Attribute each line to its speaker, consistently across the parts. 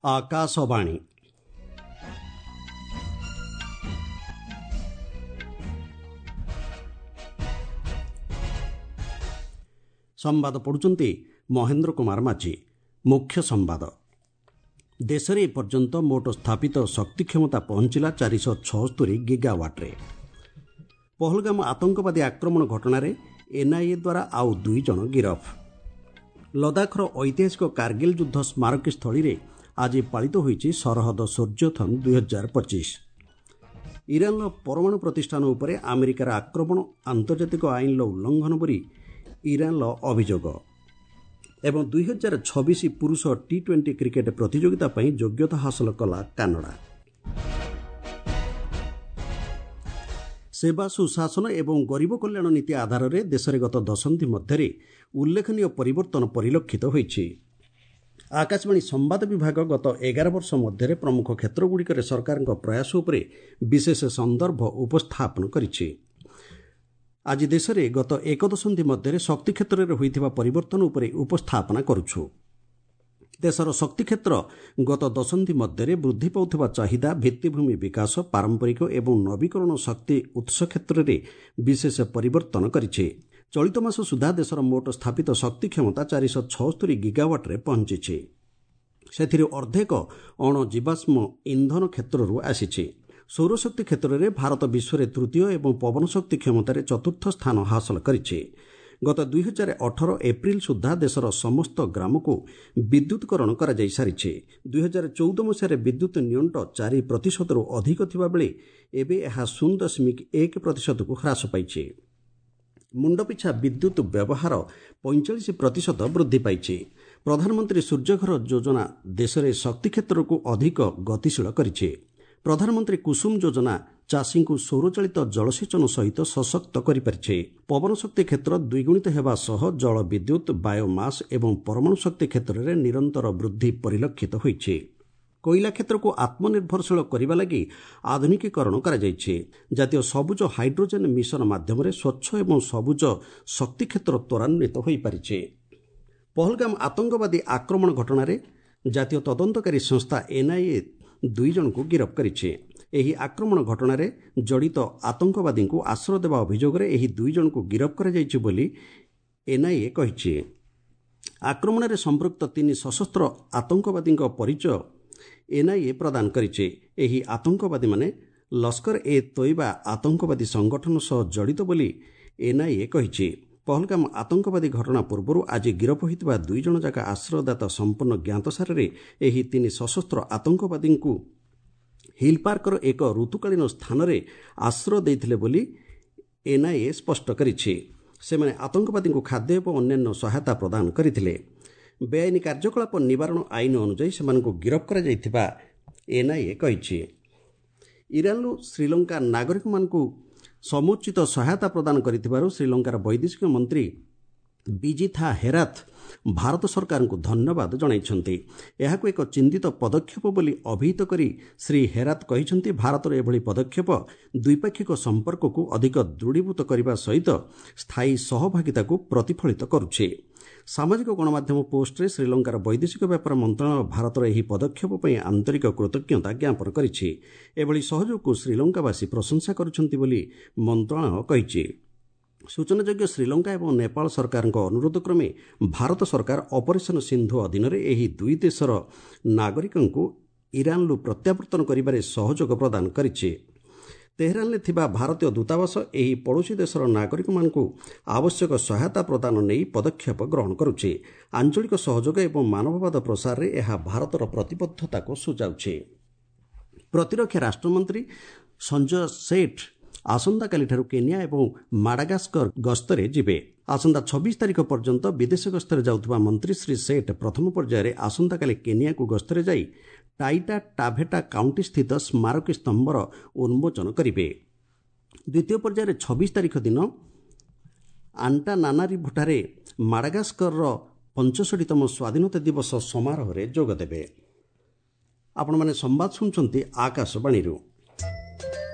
Speaker 1: ଆକାଶବାଣୀ। ସମ୍ବାଦ ପଢ଼ୁଛନ୍ତି ମହେନ୍ଦ୍ର କୁମାର ମାଝୀ। ମୁଖ୍ୟ ସମ୍ବାଦ। ଦେଶରେ ଏପର୍ଯ୍ୟନ୍ତ ମୋଟ ସ୍ଥାପିତ ଶକ୍ତି କ୍ଷମତା ପହଞ୍ଚିଲା 476 ଗିଗାୱାଟ୍ରେ। ପହଲଗାମ ଆତଙ୍କବାଦୀ ଆକ୍ରମଣ ଘଟଣାରେ ଏନ୍ଆଇଏ ଦ୍ୱାରା ଆଉ 2 ଜଣ ଗିରଫ। ଲଦାଖର ଐତିହାସିକ କାର୍ଗିଲ ଯୁଦ୍ଧ ସ୍ମାରକୀ ସ୍ଥଳୀରେ ଆଜି ପାଳିତ ହୋଇଛି ସରହଦ ସୂର୍ଯ୍ୟଥନ 2025। ଇରାନର ପରମାଣୁ ପ୍ରତିଷ୍ଠାନ ଉପରେ ଆମେରିକାର ଆକ୍ରମଣ ଆନ୍ତର୍ଜାତିକ ଆଇନର ଉଲ୍ଲଂଘନ ବୋଲି ଇରାନର ଅଭିଯୋଗ। ଏବଂ 2026 ପୁରୁଷ ଟି-20 କ୍ରିକେଟ୍ ପ୍ରତିଯୋଗିତା ପାଇଁ ଯୋଗ୍ୟତା ହାସଲ କଲା କାନାଡା। ସେବା, ସୁଶାସନ ଏବଂ ଗରିବ କଲ୍ୟାଣ ନୀତି ଆଧାରରେ ଦେଶରେ ଗତ ଦଶନ୍ଧି ମଧ୍ୟରେ ଉଲ୍ଲେଖନୀୟ ପରିବର୍ତ୍ତନ ପରିଲକ୍ଷିତ ହୋଇଛି। ଆକାଶବାଣୀ ସମ୍ବାଦ ବିଭାଗ ଗତ 11 ବର୍ଷ ମଧ୍ୟରେ ପ୍ରମୁଖ କ୍ଷେତ୍ରଗୁଡ଼ିକରେ ସରକାରଙ୍କ ପ୍ରୟାସ ଉପରେ ବିଶେଷ ସନ୍ଦର୍ଭ ଉପସ୍ଥାପନ କରିଛି। ଆଜି ଦେଶରେ ଗତ ଏକ ଦଶନ୍ଧି ମଧ୍ୟରେ ଶକ୍ତି କ୍ଷେତ୍ରରେ ହୋଇଥିବା ପରିବର୍ତ୍ତନ ଉପରେ ଉପସ୍ଥାପନା କରୁଛୁ। ଦେଶର ଶକ୍ତି କ୍ଷେତ୍ର ଗତ ଦଶନ୍ଧି ମଧ୍ୟରେ ବୃଦ୍ଧି ପାଉଥିବା ଚାହିଦା, ଭିତ୍ତିଭୂମି ବିକାଶ, ପାରମ୍ପରିକ ଏବଂ ନବୀକରଣ ଶକ୍ତି ଉତ୍ସ କ୍ଷେତ୍ରରେ ବିଶେଷ ପରିବର୍ତ୍ତନ କରିଛି। ଚଳିତ ମାସ ସୁଦ୍ଧା ଦେଶର ମୋଟ ସ୍ଥାପିତ ଶକ୍ତି କ୍ଷମତା 476 ଗିଗାୱାଟ୍ରେ ପହଞ୍ଚିଛି। ସେଥିରୁ ଅର୍ଦ୍ଧେକ ଅଣଜୀବାଶ୍ମ ଇନ୍ଧନ କ୍ଷେତ୍ରରୁ ଆସିଛି। ସୌରଶକ୍ତି କ୍ଷେତ୍ରରେ ଭାରତ ବିଶ୍ୱରେ ତୃତୀୟ ଏବଂ ପବନ ଶକ୍ତି କ୍ଷମତାରେ ଚତୁର୍ଥ ସ୍ଥାନ ହାସଲ କରିଛି। ଗତ 2018 ଏପ୍ରିଲ ସୁଦ୍ଧା ଦେଶର ସମସ୍ତ ଗ୍ରାମକୁ ବିଦ୍ୟୁତକରଣ କରାଯାଇସାରିଛି। 2014 ମସିହାରେ ବିଦ୍ୟୁତ୍ ନିଅଣ୍ଟ 4 ପ୍ରତିଶତରୁ ଅଧିକ ଥିବାବେଳେ ଏବେ ଏହା 0.1 ପ୍ରତିଶତକୁ ହ୍ରାସ ପାଇଛି। ମୁଣ୍ଡପିଛା ବିଦ୍ୟୁତ୍ ବ୍ୟବହାର 45% ବୃଦ୍ଧି ପାଇଛି। ପ୍ରଧାନମନ୍ତ୍ରୀ ସୂର୍ଯ୍ୟଘର ଯୋଜନା ଦେଶରେ ଶକ୍ତି କ୍ଷେତ୍ରକୁ ଅଧିକ ଗତିଶୀଳ କରିଛି। ପ୍ରଧାନମନ୍ତ୍ରୀ କୁସୁମ ଯୋଜନା ଚାଷୀଙ୍କୁ ସୌରଚାଳିତ ଜଳସେଚନ ସହିତ ସଶକ୍ତ କରିପାରିଛି। ପବନ ଶକ୍ତି କ୍ଷେତ୍ର ଦ୍ୱିଗୁଣିତ ହେବା ସହ ଜଳ ବିଦ୍ୟୁତ୍, ବାୟୋମାସ୍ ଏବଂ ପରମାଣୁ ଶକ୍ତି କ୍ଷେତ୍ରରେ ନିରନ୍ତର ବୃଦ୍ଧି ପରିଲକ୍ଷିତ ହୋଇଛି। କୋଇଲା କ୍ଷେତ୍ରକୁ ଆତ୍ମନିର୍ଭରଶୀଳ କରିବା ଲାଗି ଆଧୁନିକୀକରଣ କରାଯାଇଛି। ଜାତୀୟ ସବୁଜ ହାଇଡ୍ରୋଜେନ୍ ମିଶନ ମାଧ୍ୟମରେ ସ୍ୱଚ୍ଛ ଏବଂ ସବୁଜ ଶକ୍ତି କ୍ଷେତ୍ର ତ୍ୱରାନ୍ୱିତ ହୋଇପାରିଛି। ପହଲଗାମ ଆତଙ୍କବାଦୀ ଆକ୍ରମଣ ଘଟଣାରେ ଜାତୀୟ ତଦନ୍ତକାରୀ ସଂସ୍ଥା ଏନ୍ଆଇଏ 2 ଜଣଙ୍କୁ ଗିରଫ କରିଛି। ଏହି ଆକ୍ରମଣ ଘଟଣାରେ ଜଡ଼ିତ ଆତଙ୍କବାଦୀଙ୍କୁ ଆଶ୍ରୟ ଦେବା ଅଭିଯୋଗରେ ଏହି 2 ଜଣଙ୍କୁ ଗିରଫ କରାଯାଇଛି ବୋଲି ଏନ୍ଆଇଏ କହିଛି। ଆକ୍ରମଣରେ ସମ୍ପୃକ୍ତ 3 ସଶସ୍ତ୍ର ଆତଙ୍କବାଦୀଙ୍କ ପରିଚୟ ଏନ୍ଆଇଏ ପ୍ରଦାନ କରିଛି। ଏହି ଆତଙ୍କବାଦୀମାନେ ଲସ୍କର ଏ ତୋଇବା ଆତଙ୍କବାଦୀ ସଂଗଠନ ସହ ଜଡ଼ିତ ବୋଲି ଏନ୍ଆଇଏ କହିଛି। ପହଲଗାମ ଆତଙ୍କବାଦୀ ଘଟଣା ପୂର୍ବରୁ ଆଜି ଗିରଫ ହୋଇଥିବା 2 ଜଣ ଯାକ ଆଶ୍ରୟଦାତା ସମ୍ପୂର୍ଣ୍ଣ ଜ୍ଞାତସାରରେ ଏହି 3 ସଶସ୍ତ୍ର ଆତଙ୍କବାଦୀଙ୍କୁ ହିଲ୍ ପାର୍କର ଏକ ଋତୁକାଳୀନ ସ୍ଥାନରେ ଆଶ୍ରୟ ଦେଇଥିଲେ ବୋଲି ଏନ୍ଆଇଏ ସ୍ପଷ୍ଟ କରିଛି। ସେମାନେ ଆତଙ୍କବାଦୀଙ୍କୁ ଖାଦ୍ୟ ଏବଂ ଅନ୍ୟାନ୍ୟ ସହାୟତା ପ୍ରଦାନ କରିଥିଲେ। ବେଆଇନ କାର୍ଯ୍ୟକଳାପ ନିବାରଣ ଆଇନ ଅନୁଯାୟୀ ସେମାନଙ୍କୁ ଗିରଫ କରାଯାଇଥିବା ଏନ୍ଆଇଏ କହିଛି। ଇରାନରୁ ଶ୍ରୀଲଙ୍କା ନାଗରିକମାନଙ୍କୁ ସମୁଚିତ ସହାୟତା ପ୍ରଦାନ କରିଥିବାରୁ ଶ୍ରୀଲଙ୍କାର ବୈଦେଶିକ ମନ୍ତ୍ରୀ ବିଜିଥା ହେରାଥ ଭାରତ ସରକାରଙ୍କୁ ଧନ୍ୟବାଦ ଜଣାଇଛନ୍ତି। ଏହାକୁ ଏକ ଚିନ୍ତିତ ପଦକ୍ଷେପ ବୋଲି ଅଭିହିତ କରି ଶ୍ରୀ ହେରାତ କହିଛନ୍ତି, ଭାରତର ଏଭଳି ପଦକ୍ଷେପ ଦ୍ୱିପାକ୍ଷିକ ସମ୍ପର୍କକୁ ଅଧିକ ଦୃଢ଼ୀଭୂତ କରିବା ସହିତ ସ୍ଥାୟୀ ସହଭାଗିତାକୁ ପ୍ରତିଫଳିତ କରୁଛି। ସାମାଜିକ ଗଣମାଧ୍ୟମ ପୋଷ୍ଟରେ ଶ୍ରୀଲଙ୍କାର ବୈଦେଶିକ ବ୍ୟାପାର ମନ୍ତ୍ରଣାଳୟ ଭାରତର ଏହି ପଦକ୍ଷେପ ପାଇଁ ଆନ୍ତରିକ କୃତଜ୍ଞତା ଜ୍ଞାପନ କରିଛି। ଏଭଳି ସହଯୋଗକୁ ଶ୍ରୀଲଙ୍କାବାସୀ ପ୍ରଶଂସା କରୁଛନ୍ତି ବୋଲି ମନ୍ତ୍ରଣାଳୟ କହିଛି। ସୂଚନାଯୋଗ୍ୟ, ଶ୍ରୀଲଙ୍କା ଏବଂ ନେପାଳ ସରକାରଙ୍କ ଅନୁରୋଧ କ୍ରମେ ଭାରତ ସରକାର ଅପରେସନ୍ ସିନ୍ଧୁ ଅଧୀନରେ ଏହି 2 ଦେଶର ନାଗରିକଙ୍କୁ ଇରାନରୁ ପ୍ରତ୍ୟାବର୍ତ୍ତନ କରିବାରେ ସହଯୋଗ ପ୍ରଦାନ କରିଛି। ତେହେରାନରେ ଥିବା ଭାରତୀୟ ଦୂତାବାସ ଏହି ପଡ଼ୋଶୀ ଦେଶର ନାଗରିକମାନଙ୍କୁ ଆବଶ୍ୟକ ସହାୟତା ପ୍ରଦାନ ନେଇ ପଦକ୍ଷେପ ଗ୍ରହଣ କରୁଛି। ଆଞ୍ଚଳିକ ସହଯୋଗ ଏବଂ ମାନବବାଦ ପ୍ରସାରରେ ଏହା ଭାରତର ପ୍ରତିବଦ୍ଧତାକୁ ସୂଚାଉଛି। ପ୍ରତିରକ୍ଷା ରାଷ୍ଟ୍ରମନ୍ତ୍ରୀ ସଞ୍ଜୟ ସେଠ୍ ଆସନ୍ତାକାଲିଠାରୁ କେନିଆ ଏବଂ ମାଡାଗାସ୍କର ଗସ୍ତରେ ଯିବେ। ଆସନ୍ତା 26 ତାରିଖ ପର୍ଯ୍ୟନ୍ତ ବିଦେଶ ଗସ୍ତରେ ଯାଉଥିବା ମନ୍ତ୍ରୀ ଶ୍ରୀ ସେଠ୍ ପ୍ରଥମ ପର୍ଯ୍ୟାୟରେ ଆସନ୍ତାକାଲି କେନିଆକୁ ଗସ୍ତରେ ଯାଇ ଟାଇଟା ଟାଭେଟା କାଉଣ୍ଟି ସ୍ଥିତ ସ୍ମାରକୀ ସ୍ତମ୍ଭର ଉନ୍ମୋଚନ କରିବେ। ଦ୍ୱିତୀୟ ପର୍ଯ୍ୟାୟରେ 26 ତାରିଖ ଦିନ ଆଣ୍ଟାନାନାରିଭୋଠାରେ ମାଡାଗାସ୍କରର 65ତମ ସ୍ୱାଧୀନତା ଦିବସ ସମାରୋହରେ ଯୋଗଦେବେ। ଆପଣମାନେ ସମ୍ବାଦ ଶୁଣୁଛନ୍ତି ଆକାଶବାଣୀରୁ।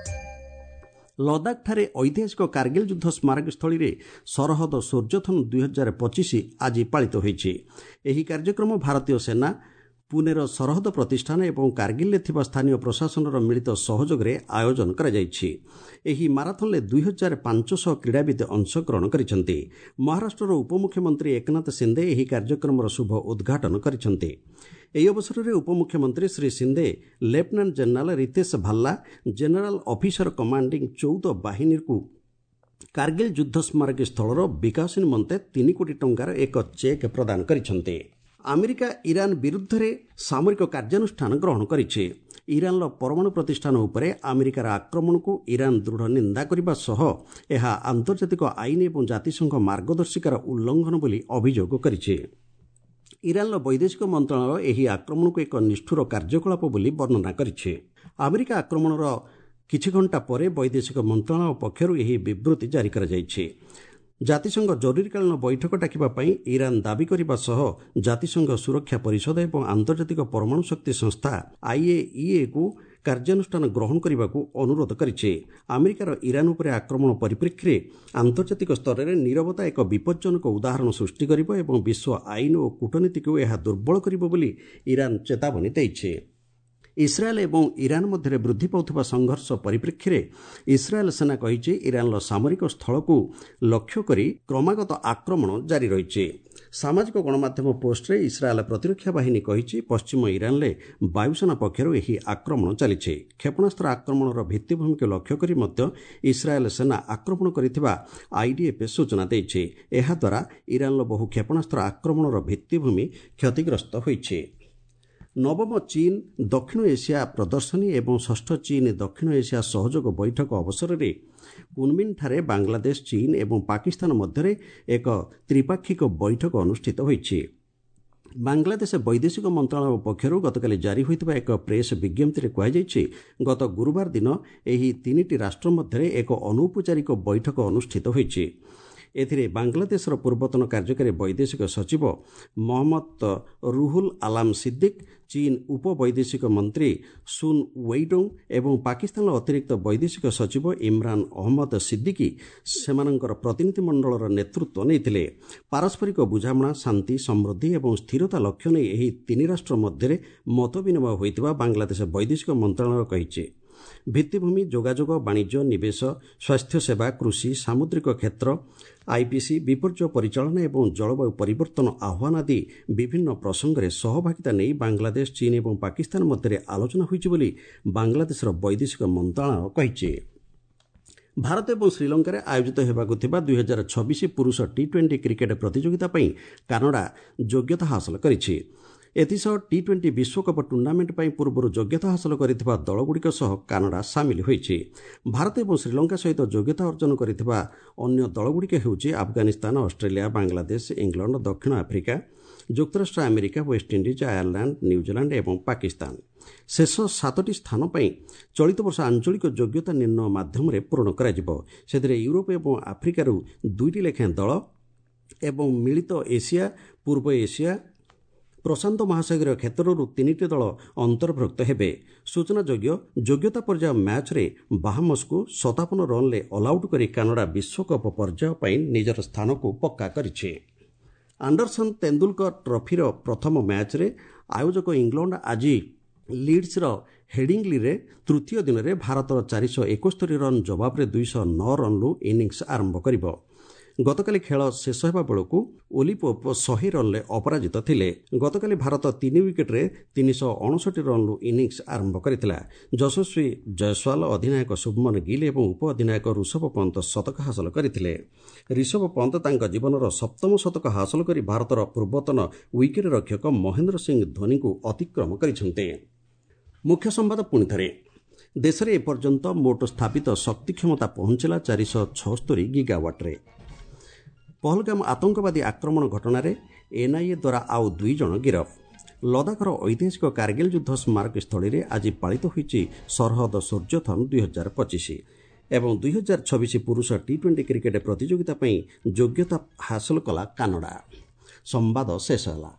Speaker 1: ଲଦାଖଠାରେ ଐତିହାସିକ କାର୍ଗିଲ ଯୁଦ୍ଧ ସ୍ମାରକୀସ୍ଥଳୀରେ ସରହଦ ସୂର୍ଯ୍ୟଥନ 2025 ଆଜି ପାଳିତ ହୋଇଛି। ଏହି କାର୍ଯ୍ୟକ୍ରମ ଭାରତୀୟ ସେନା, ପୁନେର ସରହଦ ପ୍ରତିଷ୍ଠାନ ଏବଂ କାର୍ଗିଲ୍ରେ ଥିବା ସ୍ଥାନୀୟ ପ୍ରଶାସନର ମିଳିତ ସହଯୋଗରେ ଆୟୋଜନ କରାଯାଇଛି। ଏହି ମାରାଥନ୍ରେ 2500 କ୍ରୀଡ଼ାବିତ୍ ଅଂଶଗ୍ରହଣ କରିଛନ୍ତି। ମହାରାଷ୍ଟ୍ରର ଉପମୁଖ୍ୟମନ୍ତ୍ରୀ ଏକନାଥ ସିନ୍ଦେ ଏହି କାର୍ଯ୍ୟକ୍ରମର ଶୁଭ ଉଦ୍ଘାଟନ କରିଛନ୍ତି। ଏହି ଅବସରରେ ଉପମୁଖ୍ୟମନ୍ତ୍ରୀ Shri Shinde lieutenant general Ritesh Bhalla, general officer commanding 14 ବାହିନୀକୁ କାର୍ଗିଲ୍ ଯୁଦ୍ଧ ସ୍ମାରକୀ ସ୍ଥଳର ବିକାଶ ନିମନ୍ତେ 3 କୋଟି ଟଙ୍କାର ଏକ ଚେକ୍ ପ୍ରଦାନ କରିଛନ୍ତି। ଆମେରିକା ଇରାନ ବିରୁଦ୍ଧରେ ସାମରିକ କାର୍ଯ୍ୟାନୁଷ୍ଠାନ ଗ୍ରହଣ କରିଛି। ଇରାନର ପରମାଣୁ ପ୍ରତିଷ୍ଠାନ ଉପରେ ଆମେରିକାର ଆକ୍ରମଣକୁ ଇରାନ ଦୃଢ଼ ନିନ୍ଦା କରିବା ସହ ଏହା ଆନ୍ତର୍ଜାତିକ ଆଇନ ଏବଂ ଜାତିସଂଘ ମାର୍ଗଦର୍ଶିକାର ଉଲ୍ଲଂଘନ ବୋଲି ଅଭିଯୋଗ କରିଛି। ଇରାନର ବୈଦେଶିକ ମନ୍ତ୍ରଣାଳୟ ଏହି ଆକ୍ରମଣକୁ ଏକ ନିଷ୍ଠୁର କାର୍ଯ୍ୟକଳାପ ବୋଲି ବର୍ଣ୍ଣନା କରିଛି। ଆମେରିକା ଆକ୍ରମଣର କିଛି ଘଣ୍ଟା ପରେ ବୈଦେଶିକ ମନ୍ତ୍ରଣାଳୟ ପକ୍ଷରୁ ଏହି ବିବୃତି ଜାରି କରାଯାଇଛି। ଜାତିସଂଘ ଜରୁରୀକାଳୀନ ବୈଠକ ଡାକିବା ପାଇଁ ଇରାନ ଦାବି କରିବା ସହ ଜାତିସଂଘ ସୁରକ୍ଷା ପରିଷଦ ଏବଂ ଆନ୍ତର୍ଜାତିକ ପରମାଣୁ ଶକ୍ତି ସଂସ୍ଥା ଆଇଏଇଏକୁ କାର୍ଯ୍ୟାନୁଷ୍ଠାନ ଗ୍ରହଣ କରିବାକୁ ଅନୁରୋଧ କରିଛି। ଆମେରିକାର ଇରାନ ଉପରେ ଆକ୍ରମଣ ପରିପ୍ରେକ୍ଷୀରେ ଆନ୍ତର୍ଜାତିକ ସ୍ତରରେ ନିରବତା ଏକ ବିପଜ୍ଜନକ ଉଦାହରଣ ସୃଷ୍ଟି କରିବ ଏବଂ ବିଶ୍ୱ ଆଇନ ଓ କୂଟନୀତିକୁ ଏହା ଦୁର୍ବଳ କରିବ ବୋଲି ଇରାନ ଚେତାବନୀ ଦେଇଛି। ଇସ୍ରାଏଲ୍ ଏବଂ ଇରାନ ମଧ୍ୟରେ ବୃଦ୍ଧି ପାଉଥିବା ସଂଘର୍ଷ ପରିପ୍ରେକ୍ଷୀରେ ଇସ୍ରାଏଲ୍ ସେନା କହିଛି, ଇରାନର ସାମରିକ ସ୍ଥଳକୁ ଲକ୍ଷ୍ୟ କରି କ୍ରମାଗତ ଆକ୍ରମଣ ଜାରି ରହିଛି। ସାମାଜିକ ଗଣମାଧ୍ୟମ ପୋଷ୍ଟରେ ଇସ୍ରାଏଲ୍ ପ୍ରତିରକ୍ଷା ବାହିନୀ କହିଛି, ପଶ୍ଚିମ ଇରାନରେ ବାୟୁସେନା ପକ୍ଷରୁ ଏହି ଆକ୍ରମଣ ଚାଲିଛି। କ୍ଷେପଣାସ୍ତ୍ର ଆକ୍ରମଣର ଭିତ୍ତିଭୂମିକୁ ଲକ୍ଷ୍ୟ କରି ମଧ୍ୟ ଇସ୍ରାଏଲ୍ ସେନା ଆକ୍ରମଣ କରିଥିବା ଆଇଡିଏଫ୍ ସୂଚନା ଦେଇଛି। ଏହାଦ୍ୱାରା ଇରାନର ବହୁ କ୍ଷେପଣାସ୍ତ୍ର ଆକ୍ରମଣର ଭିତ୍ତିଭୂମି କ୍ଷତିଗ୍ରସ୍ତ ହୋଇଛି। ନବମ ଚୀନ୍ ଦକ୍ଷିଣ ଏସିଆ ପ୍ରଦର୍ଶନୀ ଏବଂ ଷଷ୍ଠ ଚୀନ୍ ଦକ୍ଷିଣ ଏସିଆ ସହଯୋଗ ବୈଠକ ଅବସରରେ କୁନମିନ୍ଠାରେ ବାଂଲାଦେଶ, ଚୀନ୍ ଏବଂ ପାକିସ୍ତାନ ମଧ୍ୟରେ ଏକ ତ୍ରିପାକ୍ଷିକ ବୈଠକ ଅନୁଷ୍ଠିତ ହୋଇଛି। ବାଂଲାଦେଶ ବୈଦେଶିକ ମନ୍ତ୍ରଣାଳୟ ପକ୍ଷରୁ ଗତକାଲି ଜାରି ହୋଇଥିବା ଏକ ପ୍ରେସ୍ ବିଜ୍ଞପ୍ତିରେ କୁହାଯାଇଛି, ଗତ ଗୁରୁବାର ଦିନ ଏହି ତିନିଟି ରାଷ୍ଟ୍ର ମଧ୍ୟରେ ଏକ ଅନୌପଚାରିକ ବୈଠକ ଅନୁଷ୍ଠିତ ହୋଇଛି। ଏଥିରେ ବାଂଲାଦେଶର ପୂର୍ବତନ କାର୍ଯ୍ୟକାରୀ ବୈଦେଶିକ ସଚିବ ମହମ୍ମଦ ରୁହୁଲ ଆଲାମ ସିଦ୍ଦିକ, ଚୀନ୍ ଉପ ବୈଦେଶିକ ମନ୍ତ୍ରୀ ସୁନ୍ ୱେଇଡୋଙ୍ଗ ଏବଂ ପାକିସ୍ତାନର ଅତିରିକ୍ତ ବୈଦେଶିକ ସଚିବ ଇମ୍ରାନ ଅହମ୍ମଦ ସିଦ୍ଦିକି ସେମାନଙ୍କର ପ୍ରତିନିଧିମଣ୍ଡଳର ନେତୃତ୍ୱ ନେଇଥିଲେ। ପାରସ୍ପରିକ ବୁଝାମଣା, ଶାନ୍ତି, ସମୃଦ୍ଧି ଏବଂ ସ୍ଥିରତା ଲକ୍ଷ୍ୟ ନେଇ ଏହି ତିନି ରାଷ୍ଟ୍ର ମଧ୍ୟରେ ମତ ବିନିମୟ ହୋଇଥିବା ବାଂଲାଦେଶ ବୈଦେଶିକ ମନ୍ତ୍ରଣାଳୟ କହିଛି। ଭିତ୍ତିଭୂମି, ଯୋଗାଯୋଗ, ବାଣିଜ୍ୟ, ନିବେଶ, ସ୍ୱାସ୍ଥ୍ୟସେବା, କୃଷି, ସାମୁଦ୍ରିକ କ୍ଷେତ୍ର, ଆଇପିସି, ବିପର୍ଯ୍ୟୟ ପରିଚାଳନା ଏବଂ ଜଳବାୟୁ ପରିବର୍ତ୍ତନ ଆହ୍ୱାନ ଆଦି ବିଭିନ୍ନ ପ୍ରସଙ୍ଗରେ ସହଭାଗିତା ନେଇ ବାଂଲାଦେଶ, ଚୀନ୍ ଏବଂ ପାକିସ୍ତାନ ମଧ୍ୟରେ ଆଲୋଚନା ହୋଇଛି ବୋଲି ବାଂଲାଦେଶର ବୈଦେଶିକ ମନ୍ତ୍ରଣାଳୟ କହିଛି। ଭାରତ ଏବଂ ଶ୍ରୀଲଙ୍କାରେ ଆୟୋଜିତ ହେବାକୁ ଥିବା 2026 ପୁରୁଷ ଟି-20 କ୍ରିକେଟ୍ ପ୍ରତିଯୋଗିତା ପାଇଁ କାନାଡା ଯୋଗ୍ୟତା ହାସଲ କରିଛି। ଏଥିସହ ଟି-20 ବିଶ୍ୱକପ୍ ଟୁର୍ଣ୍ଣାମେଣ୍ଟ ପାଇଁ ପୂର୍ବରୁ ଯୋଗ୍ୟତା ହାସଲ କରିଥିବା ଦଳଗୁଡ଼ିକ ସହ କାନାଡା ସାମିଲ ହୋଇଛି। ଭାରତ ଏବଂ ଶ୍ରୀଲଙ୍କା ସହିତ ଯୋଗ୍ୟତା ଅର୍ଜନ କରିଥିବା ଅନ୍ୟ ଦଳଗୁଡ଼ିକ ହେଉଛି ଆଫଗାନିସ୍ତାନ, ଅଷ୍ଟ୍ରେଲିଆ, ବାଂଲାଦେଶ, ଇଂଲଣ୍ଡ, ଦକ୍ଷିଣ ଆଫ୍ରିକା, ଯୁକ୍ତରାଷ୍ଟ୍ର America, West Indies, Ireland, New Zealand ଏବଂ ପାକିସ୍ତାନ। ଶେଷ 7ଟି ସ୍ଥାନ ପାଇଁ ଚଳିତ ବର୍ଷ ଆଞ୍ଚଳିକ ଯୋଗ୍ୟତା ନିର୍ଣ୍ଣୟ ମାଧ୍ୟମରେ ପୂରଣ କରାଯିବ। ସେଥିରେ ୟୁରୋପ ଏବଂ ଆଫ୍ରିକାରୁ 2ଟି ଲେଖାଏଁ ଦଳ ଏବଂ ମିଳିତ ଏସିଆ, ପୂର୍ବ ଏସିଆ, ପ୍ରଶାନ୍ତ ମହାସାଗରୀୟ କ୍ଷେତ୍ରରୁ 3ଟି ଦଳ ଅନ୍ତର୍ଭୁକ୍ତ ହେବେ। ସୂଚନାଯୋଗ୍ୟ, ଯୋଗ୍ୟତା ପର୍ଯ୍ୟାୟ ମ୍ୟାଚ୍ରେ ବାହାମସକୁ 57 ରନ୍ରେ ଅଲ୍ଆଉଟ୍ କରି କାନାଡା ବିଶ୍ୱକପ୍ ପର୍ଯ୍ୟାୟ ପାଇଁ ନିଜର ସ୍ଥାନକୁ ପକ୍କା କରିଛି। ଆଣ୍ଡରସନ୍ ତେନ୍ଦୁଲକର ଟ୍ରଫିର ପ୍ରଥମ ମ୍ୟାଚ୍ରେ ଆୟୋଜକ ଇଂଲଣ୍ଡ ଆଜି ଲିଡ୍ସର ହେଡିଂଲିରେ ତୃତୀୟ ଦିନରେ ଭାରତର 471 ରନ୍ ଜବାବରେ 209 ରନ୍ରୁ ଇନିଂସ ଆରମ୍ଭ କରିବ। ଗତକାଲି ଖେଳ ଶେଷ ହେବା ବେଳକୁ ଓଲି ପୋପ୍ 100 ରନ୍ରେ ଅପରାଜିତ ଥିଲେ। ଗତକାଲି ଭାରତ 3 ୱିକେଟ୍ରେ 359 ରନ୍ରୁ ଇନିଂସ ଆରମ୍ଭ କରିଥିଲା। ଯଶସ୍ୱୀ ଜୟସ୍ୱାଲ, ଅଧିନାୟକ ଶୁଭମନ ଗିଲ୍ ଏବଂ ଉପ ଅଧିନାୟକ ଋଷଭ ପନ୍ତ ଶତକ ହାସଲ କରିଥିଲେ। ରିଷଭ ପନ୍ତ ତାଙ୍କ ଜୀବନର ସପ୍ତମ ଶତକ ହାସଲ କରି ଭାରତର ପୂର୍ବତନ ୱିକେଟ୍ ରକ୍ଷକ ମହେନ୍ଦ୍ର ସିଂ ଧୋନିଙ୍କୁ ଅତିକ୍ରମ କରିଛନ୍ତି। ମୁଖ୍ୟ ସମ୍ବାଦ ପୁଣିଥରେ। ଦେଶରେ ଏପର୍ଯ୍ୟନ୍ତ ମୋଟ ସ୍ଥାପିତ ଶକ୍ତି କ୍ଷମତା ପହଞ୍ଚିଲା 476 ଗିଗାୱାଟ୍ରେ। ପହଲଗାମ ଆତଙ୍କବାଦୀ ଆକ୍ରମଣ ଘଟଣାରେ ଏନ୍ଆଇଏ ଦ୍ୱାରା ଆଉ 2 ଜଣ ଗିରଫ। ଲଦାଖର ଐତିହାସିକ କାର୍ଗିଲ୍ ଯୁଦ୍ଧ ସ୍ମାରକୀସ୍ଥଳୀରେ ଆଜି ପାଳିତ ହୋଇଛି ସରହଦ ସୂର୍ଯ୍ୟଥନ୍ 2025 ଏବଂ 2026 ପୁରୁଷ ଟି-20 କ୍ରିକେଟ୍ ପ୍ରତିଯୋଗିତା ପାଇଁ ଯୋଗ୍ୟତା ହାସଲ କଲା କାନାଡା। ସମ୍ବାଦ ଶେଷ ହେଲା।